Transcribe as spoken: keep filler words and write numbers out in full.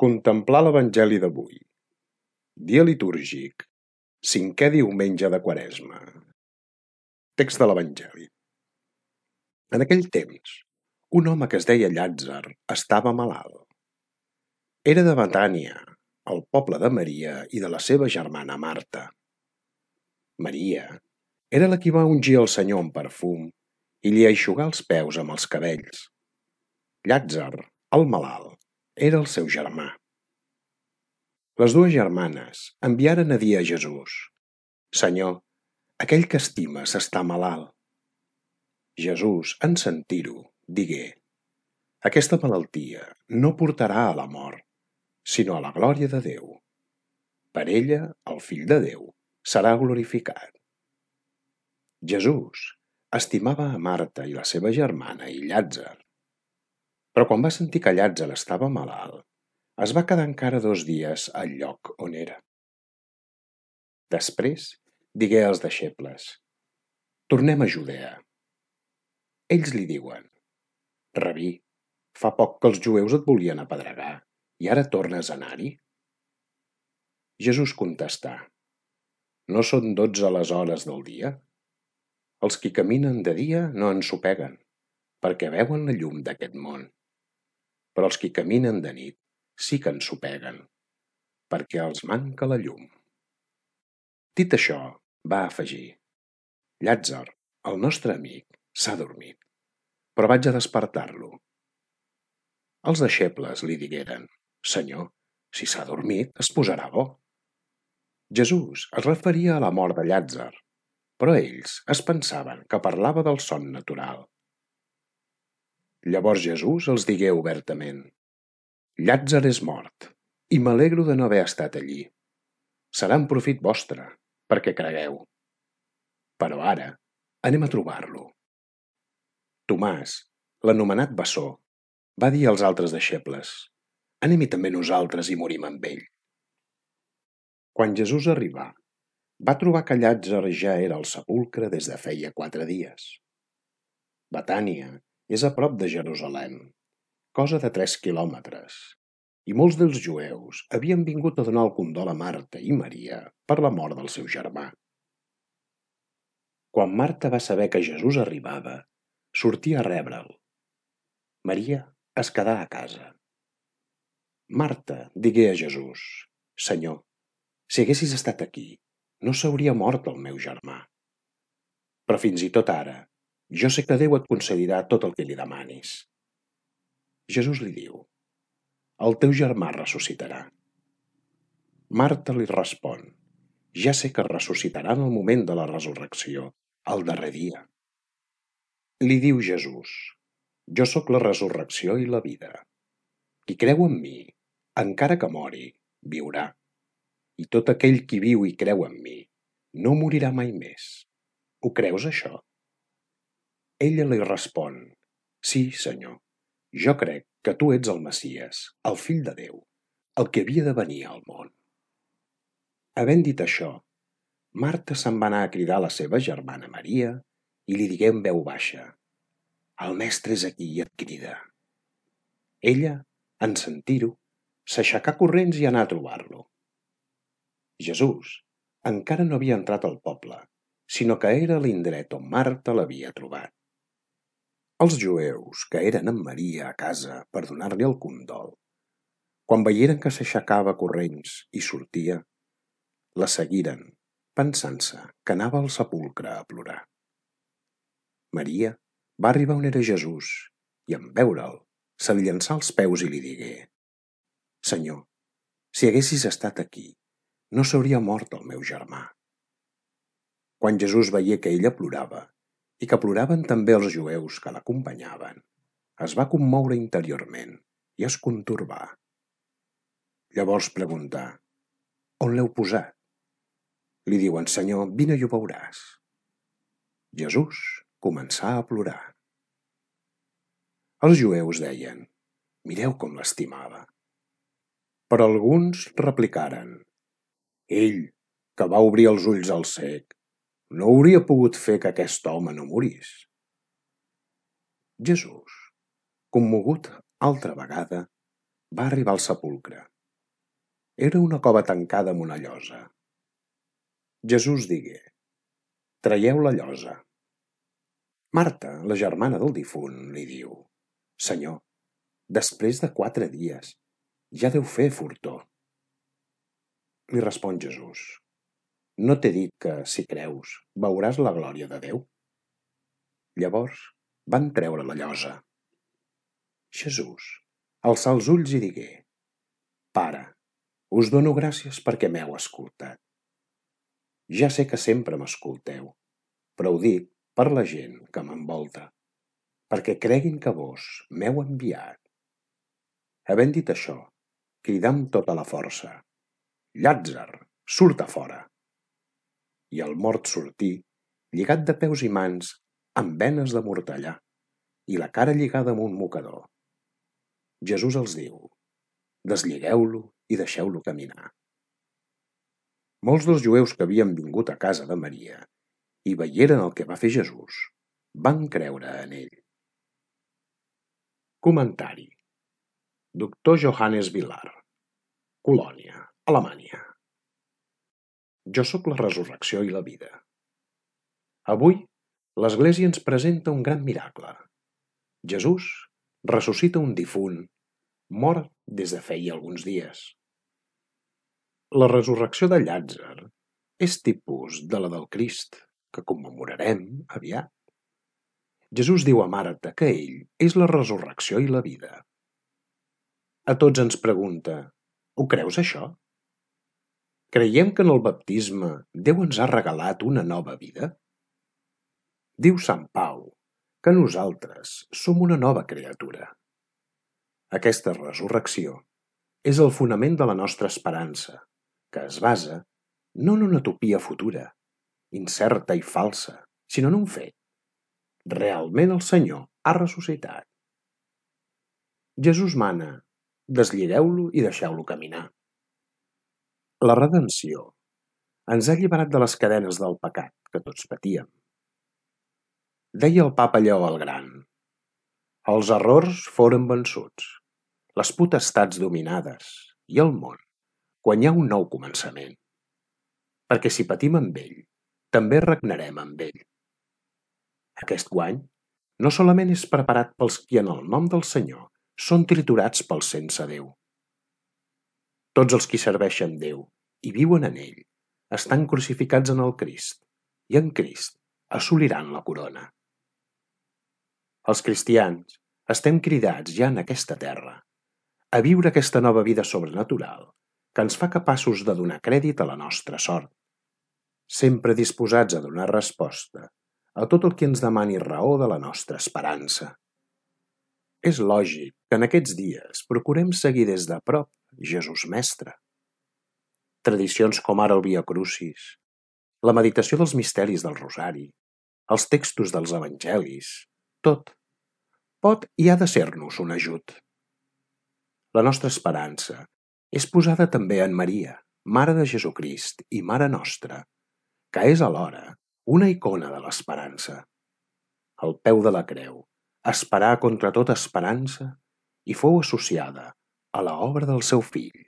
Contemplar l'Evangeli d'avui. Dia litúrgic. Cinquè diumenge de Quaresma. Text de l'Evangeli. En aquell temps, un home que es deia Llàtzer estava malalt. Era de Betània, el poble de Maria i de la seva germana Marta. Maria era la qui va ungir el Senyor amb perfum i li eixugà els peus amb els cabells. Llàtzer, el malalt, era el seu germà. Les dues germanes enviaren a dir a Jesús: Senyor, aquell que estimes està malalt. Jesús, en sentir-ho, digué: Aquesta malaltia no portarà a la mort, sinó a la glòria de Déu. Per ella, el Fill de Déu serà glorificat. Jesús estimava a Marta i la seva germana i Llàtzer. Però quan va sentir que Llàtzer estava malalt, es va quedar encara dos dies al lloc on era. Després digué als deixebles: Tornem a Judea. Ells li diuen: Rabí, fa poc que els jueus et volien apedregar i ara tornes a anar-hi? Jesús contestà: No són dotze les hores del dia? Els qui caminen de dia no ensopeguen, perquè veuen la llum d'aquest món. Però els qui caminen de nit sí que ensopeguen, perquè els manca la llum. Dit això, va afegir: Llàtzer, el nostre amic, s'ha dormit, però vaig a despertar-lo. Els deixebles li digueren: Senyor, si s'ha dormit, es posarà bo. Jesús es referia a la mort de Llàtzer, però ells es pensaven que parlava del son natural. Llavors Jesús els digué obertament: Llàtzer és mort, i m'alegro de no haver estat allí. Serà en profit vostre, perquè cregueu. Però ara anem a trobar-lo. Tomàs, l'anomenat bessó, va dir als altres deixebles: Anem-hi també nosaltres i morim amb ell. Quan Jesús arribà, va trobar que Llàtzer ja era al sepulcre des de feia quatre dies. Betània és a prop de Jerusalem, cosa de tres quilòmetres, i molts dels jueus havien vingut a donar el condol a Marta i Maria per la mort del seu germà. Quan Marta va saber que Jesús arribava, sortia a rebre'l. Maria es quedà a casa. Marta digué a Jesús: Senyor, si haguessis estat aquí, no s'hauria mort el meu germà. Però fins i tot ara, jo sé que Déu et concedirà tot el que li demanis. Jesús li diu: El teu germà ressuscitarà. Marta li respon: Ja sé que ressuscitarà en el moment de la resurrecció, el darrer dia. Li diu Jesús: Jo sóc la resurrecció i la vida. Qui creu en mi, encara que mori, viurà. I tot aquell qui viu i creu en mi no morirà mai més. Ho creus, això? Ella li respon: Sí, Senyor, jo crec que tu ets el Messies, el Fill de Déu, el que havia de venir al món. Havent dit això, Marta se'n va anar a cridar a la seva germana Maria i li digué en veu baixa: El mestre és aquí i et crida. Ella, en sentir-ho, s'aixecà corrents i anà a trobar-lo. Jesús encara no havia entrat al poble, sinó que era a l'indret on Marta l'havia trobat. Els jueus que eren amb Maria a casa per donar-li el condol, quan veieren que s'aixecava corrents i sortia, la seguiren, pensant-se que anava al sepulcre a plorar. Maria va arribar on era Jesús i, en veure'l, se li llançà als peus i li digué: Senyor, si haguessis estat aquí, no s'hauria mort el meu germà. Quan Jesús veié que ella plorava i que ploraven també els jueus que l'acompanyaven, es va commoure interiorment i es contorbà. Llavors preguntà: On l'heu posat? Li diuen: Senyor, vine i ho veuràs. Jesús començà a plorar. Els jueus deien: Mireu com l'estimava. Però alguns replicaren: Ell, que va obrir els ulls al cec, no hauria pogut fer que aquest home no morís. Jesús, commogut altra vegada, va arribar al sepulcre. Era una cova tancada amb una llosa. Jesús digué: «Traieu la llosa». Marta, la germana del difunt, li diu: «Senyor, després de quatre dies ja deu fer fortor». Li respon Jesús: «No t'he dit que, si creus, veuràs la glòria de Déu?» Llavors van treure la llosa. Jesús alçà els ulls i digué: «Pare, us dono gràcies perquè m'heu escoltat. Ja sé que sempre m'escolteu, però ho dic per la gent que m'envolta, perquè creguin que vos m'heu enviat». Havent dit això, cridà amb tota la força: «Llàtzer, surt a fora!» I el mort sortí, lligat de peus i mans, amb benes de mortellà, i la cara lligada amb un mocador. Jesús els diu: «Deslligeu-lo i deixeu-lo caminar». Molts dels jueus que havien vingut a casa de Maria i veieren el que va fer Jesús, van creure en ell. Comentari: doctor Johannes Vilar, Colònia, Alemanya. Jo sóc la resurrecció i la vida. Avui, l'Església ens presenta un gran miracle. Jesús ressuscita un difunt mort des de feia alguns dies. La resurrecció de Llàtzer és tipus de la del Crist, que commemorarem aviat. Jesús diu a Marta que ell és la resurrecció i la vida. A tots ens pregunta: «Ho creus, això?» Creiem que en el baptisme Déu ens ha regalat una nova vida? Diu Sant Pau que nosaltres som una nova criatura. Aquesta resurrecció és el fonament de la nostra esperança, que es basa no en una utopia futura, incerta i falsa, sinó en un fet. Realment el Senyor ha ressuscitat. Jesús mana: «Deslligeu-lo i deixeu-lo caminar». La redenció ens ha alliberat de les cadenes del pecat que tots patíem. Deia el papa Lleó el Gran: «Els errors foren vençuts, les potestats dominades i el món guanyà un nou començament. Perquè si patim amb ell, també regnarem amb ell». Aquest guany no solament és preparat pels qui en el nom del Senyor són triturats pel sense Déu. Tots els qui serveixen Déu i viuen en ell estan crucificats en el Crist i en Crist assoliran la corona. Els cristians estem cridats ja en aquesta terra a viure aquesta nova vida sobrenatural que ens fa capaços de donar crèdit a la nostra sort, sempre disposats a donar resposta a tot el que ens demani raó de la nostra esperança. És lògic que en aquests dies procurem seguir des de prop Jesús Mestre. Tradicions com ara el Via Crucis, la meditació dels misteris del Rosari, els textos dels Evangelis, tot pot i ha de ser-nos un ajut. La nostra esperança és posada també en Maria, Mare de Jesucrist i Mare nostra, que és alhora una icona de l'esperança. Al peu de la creu, esperar contra tota esperança, i fou associada a l'obra del seu fill.